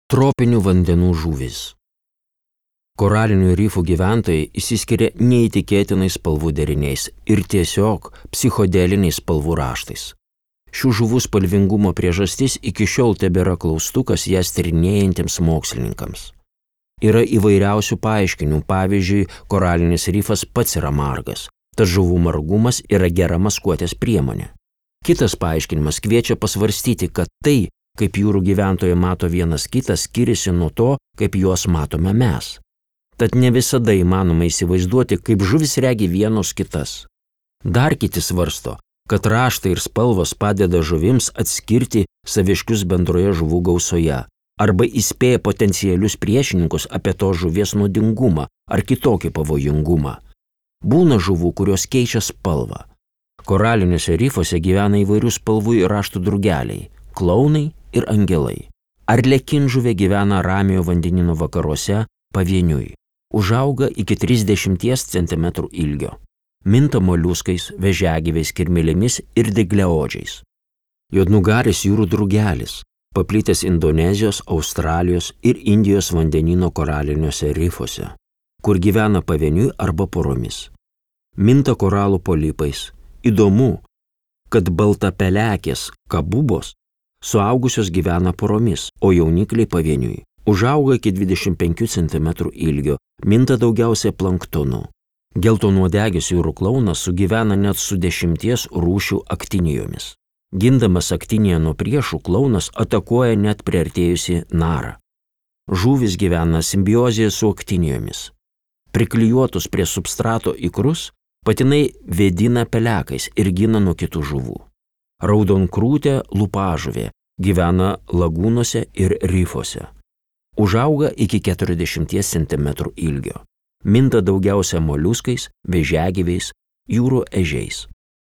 Tropinių vandenų žuvys. Koralinių rifų gyventojai išsiskiria neįtikėtinais spalvų deriniais ir tiesiog psichodeliniais spalvų raštais. Šių žuvų spalvingumo priežastis iki šiol tebėra klaustukas jas tyrinėjantiems mokslininkams. Yra įvairiausių paaiškinimų, pavyzdžiui, koralinis rifas pats yra margas, tad žuvų margumas yra gera maskuotės priemonė. Kitas paaiškinimas kviečia pasvarstyti, kad tai, kaip jūrų gyventojai mato vienas kitą, skiriasi nuo to, kaip juos matome mes. Tad ne visada įmanoma įsivaizduoti, kaip žuvis regi vienos kitas. Dar kiti svarsto, kad raštai ir spalvos padeda žuvims atskirti saviškius bendroje žuvų gausoje arba įspėja potencialius priešininkus apie to žuvies nuodingumą ar kitokį pavojingumą. Būna žuvų, kurios keičia spalvą. Koraliniuose rifuose gyvena įvairių spalvų ir raštų drugeliai, klaunai ir angelai. Arlekinžuvė gyvena Ramiojo vandenyno vakaruose pavieniui. Užauga iki 30 cm ilgio. Minta moliuskais, vėžiagyviais, kirmėlėmis ir dygliaodžiais. Juodnugaris jūrų drugelis, paplitęs Indonezijos, Australijos ir Indijos vandenyno koraliniuose rifuose, kur gyvena pavieniui arba poromis. Minta koralų polipais. Įdomu, kad baltapelekės kabubos suaugusios gyvena poromis, o jaunikliai pavieniui. Užauga iki 25 cm ilgio, minta daugiausiai planktonu. Geltonuodegis jūrų klaunas sugyvena net su 10 rūšių aktinijomis. Gindamas aktiniją nuo priešų, klaunas atakuoja net priartėjusi narą. Žuvys gyvena simbiozėje su aktinijomis. Priklijuotus prie substrato ikrus patinai vėdina pelekais ir gina nuo kitų žuvų. Raudonkrūtė lupažuvė gyvena lagūnose ir rifuose. Užauga iki 40 cm ilgio. Minta daugiausia moliuskais, vėžiagyviais, jūrų ežiais.